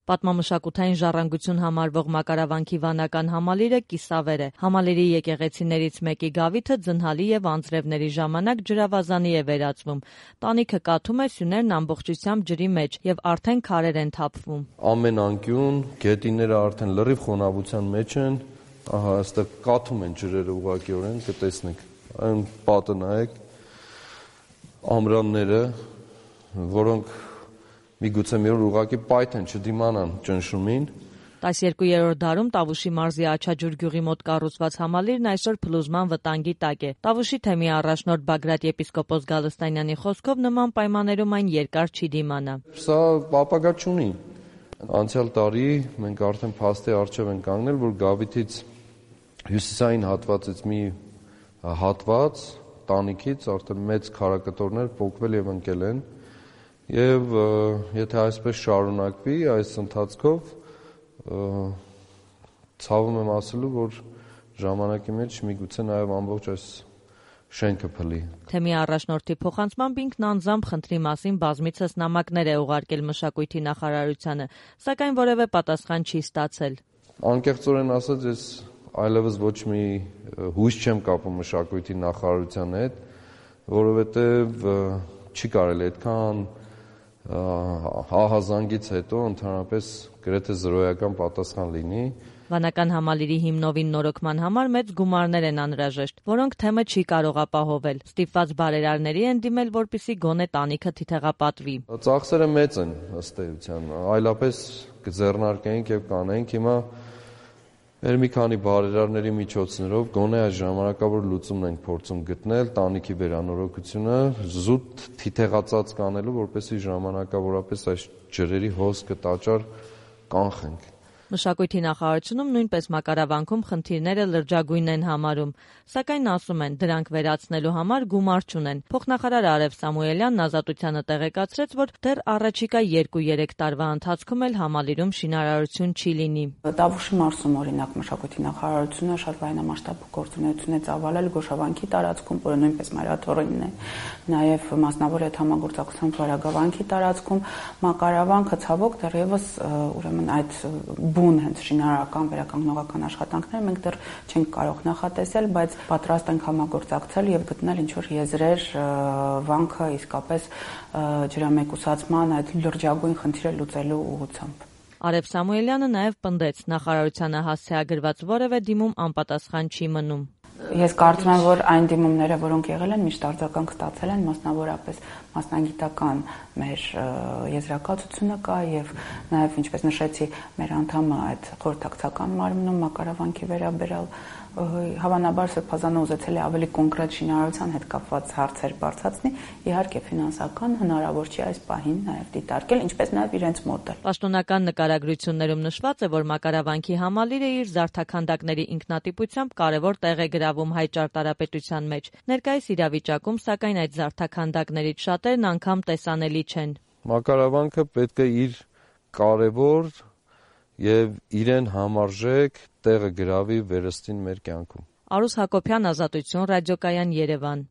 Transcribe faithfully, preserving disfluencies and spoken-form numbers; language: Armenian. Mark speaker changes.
Speaker 1: Պատմամշակութային ժառանգություն համարվող մակարավանքի վանական համալիրը կիսավեր է։ Համալիրի եկեղեցիներից մեկի գավիթը ձնհալի եւ անձրևների ժամանակ ջրավազանի է վերածվում։ Տանիքը կաթում է, սյուներն ամբողջությամբ ջրի մեջ եւ արդեն քարեր են թափվում։
Speaker 2: Ամեն անկյուն, գետինները արդեն լրիվ խոնավության մեջ են։ Ահա այստեղ կաթում են ջրերը ուղղակիորեն, կտեսնեք։ Այն պատը նայեք, ամրանները, որոնք միգուցե մի օր ուղղակի պայթ են, չդիմանան ճնշումին։
Speaker 1: տասներկուերորդ դարում Տավուշի մարզի Աչաջուր գյուղի մոտ կառուցված համալիրն այսօր փլուզման վտանգի տակ է։ Տավուշի թեմի առաջնորդ Բագրատ եպիսկոպոս Գալստանյանի խոսքով նման պայմաններում այն երկար չի դիմանա։
Speaker 2: Սա ապագա չունի։ Անցյալ տարի մենք արդեն փաստի առջև ենք կանգնել, որ գավիթից հյուսիսային հատվածից մի հատված տանիքից արդեն մեծ քարակտորներ պոկվել եւ ընկել են։ Եվ եթե այսպես շարունակվի այս ընթացքով, ցավում եմ ասելու, որ ժամանակի մեջ միգուցե նաև ամբողջ այս շենքը փլի։
Speaker 1: Թեմի առաջնորդի փոխանցմամբ ինքն անձամբ խնդրի մասին բազմիցս նամակներ է ուղարկել մշակույթի նախարարությանը, սակայն որևէ պատասխան չի ստացել։
Speaker 2: Անկեղծորեն ասած, ես այլևս ոչ մի հույս չեմ կապում մշակույթի նախարարության հետ, որովհետև չի կարելի այդքան հահազանգից հետո ընդհանրապես գրեթե զրոյական պատասխան լինի։
Speaker 1: Վանական համալիրի հիմնովին նորոգման համար մեծ գումարներ են անհրաժեշտ, որոնք թեմը չի կարող ապահովել։ Ստիպված բարերարների են դիմել, որպեսզի գոնե տանիքը թիթեղապատվի։
Speaker 2: Ծախսերը մեծ են ըստ էության, այլապես կձեռնարկենք եւ կանենք։ Հիմա մեր մի քանի բարերարների միջոցներով գոնե այս ժամանակավոր լուծումն ենք փորձում գտնել տանիքի վերանորոգությունը զուտ թիթեղածած կանելու, որպեսզի ժամանակավորապես այս ջրերի հոսքը տաճար կանխենք։
Speaker 1: Մշակույթի նախարարությունում նույնպես մակարավանքում խնդիրները լրջագույն են համարում, սակայն ասում են, դրանք վերացնելու համար գումար չունեն։ Փոխնախարար Արև Սամուելյանն Ազատությանը տեղեկացրեց, որ դեռ առաջիկա երկու-երեք տարվա ընթացքում էլ համալիրում շինարարություն չի լինի։
Speaker 3: Տավուշի մարզում օրինակ մշակույթի նախարարությունը շատ լայնամասշտաբ գործունեություն է ծավալել Գոշավանքի տարածքում, որը նույնպես մայրաթորինն է, նաև մասնավոր այդ համագործակցությամբ Վարագավանքի տարածքում մակարավանքը ցավոք դեռևս ուրեմն այդ բուն հենց շինարարական վերականգնողական աշխատանքները մենք դեռ չենք կարող նախատեսել, բայց պատրաստ ենք համագործակցել եւ գտնել ինչ-որ եզրեր վանքը իսկապես ջրամեկուսացման այդ լրջագույն խնդիրը լուծելու ուղղությամբ։
Speaker 1: Արև Սամուելյանը նաև պնդեց, նախարարությանը հասցեագրված որևէ դիմում անպատասխան չի մնում։
Speaker 3: Ես կարծում եմ, որ այն դիմումները, որոնք եղել են, միշտ արձագանք ստացել են, մասնավորապես մասնագիտական մեր եզրակացությունը կա եւ նաեւ ինչպես նշեցի, մեր անդամը այդ խորհրդակցական մարմնում մակարավանքի վերաբերյալ հավանաբար Սրբազանը ուզեցել է ավելի կոնկրետ շինարարության հետ կապված հարցեր բարձրացնի, իհարկե ֆինանսական հնարավոր չի այս պահին նաեւ դիտարկել, ինչպես նաեւ իրենց մոտ էլ։
Speaker 1: Պաշտոնական նկարագրություններում նշված է, որ մակարավանքի համալիրը իր զարդաքանդակների ինքնատիպությամբ կարևոր տեղ է գրավում հայ ճարտարապետության մեջ։ Ներկայիս իրավիճակում, սակայն այդ զարդաքանդակներից շատերն անգամ տեսանելի չեն։
Speaker 2: Մակարավանքը պետք է իր կարևոր եւ իրեն համարժեք տեղը գրավի վերստին մեր կյանքում։
Speaker 1: Արուս Հակոբյան, Ազատություն, Ռադիոկայան, Երևան։